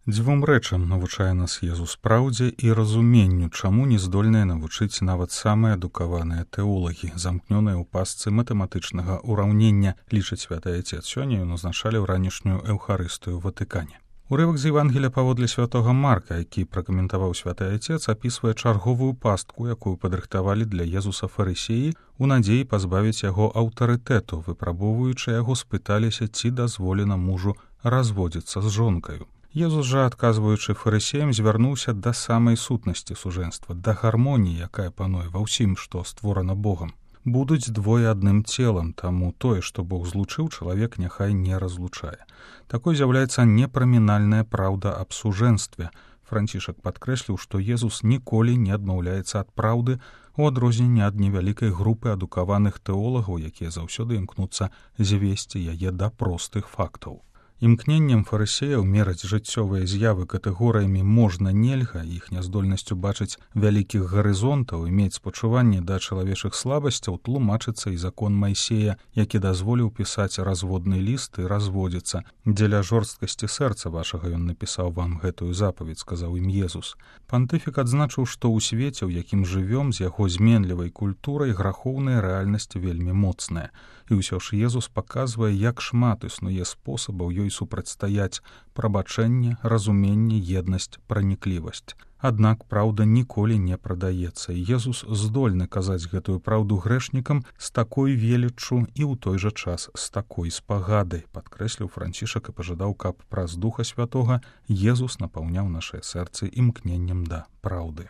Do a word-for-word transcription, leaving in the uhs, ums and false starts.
Дзвюм рэчам навучае нас Езус праўдзе і разуменню, чаму не здольныя навучыць нават самыя адукаваныя тэолагі, замкнёныя ў пастцы матэматычнага ўраўнення, лічыць святы Айцец. Сёння ён узначаліў ранішнюю эўхарыстыю ў Ватыкане. Урывак з Евангелія паводле святога Марка, які пракаментаваў святы Айцец, апісвае чарговую пастку, якую падрыхтавалі для Езуса фарысеі, у надзеі пазбавіць яго аўтарытэту, выпрабоўваючы яго, спыталіся, ці дазволена мужу разводзіцца з жонкаю. Езус жа, адказваючы фарысеям, звярнуўся да самай сутнасці сужэнства, да гармоніі, якая пануе ва ўсім, што створана Богам. Будуць двое адным целам, таму тое, што Бог злучыў, чалавек няхай не разлучае. Такой з'яўляецца непрамінальная праўда аб сужэнстве. Францішак падкрэсліў, што Езус ніколі не адмаўляецца ад праўды, у адрозненне ад невялікай групы адукаваных тэолагаў, якія заўсёды імкнуцца звесці яе да простых фактаў. Імкненнем фарысеяў мераць жыццёвыя з'явы катэгорыямі можна нельга, іх няздольнасцю бачыць вялікіх гарызонтаў, мець спачуванне да чалавечых слабасцяў, тлумачыцца і закон Майсея, які дазволіў пісаць разводны ліст і разводзіцца. Дзеля жорсткасці сэрца вашага ён напісаў вам гэтую запаведь, сказаў ім Езус. Пантыфік адзначыў, што ў свеце, у якім жывём, з яго зменлівай культурай, грахоўная рэальнасць вельмі моцная. І ўсё ж Езус паказвае, як шмат існуе спосабаў ёй супрацьстаяць: прабачэнне, разуменне, еднасць, праніклівасць. Аднак праўда ніколі не прадаецца, і Езус здольны казаць гэтую праўду грэшнікам з такой веліччу і ў той жа час з такой спагадай, падкрэсліў Францішак і пажадаў, каб праз Духа Святога Езус напаўняў нашыя сэрцы імкненнем да праўды.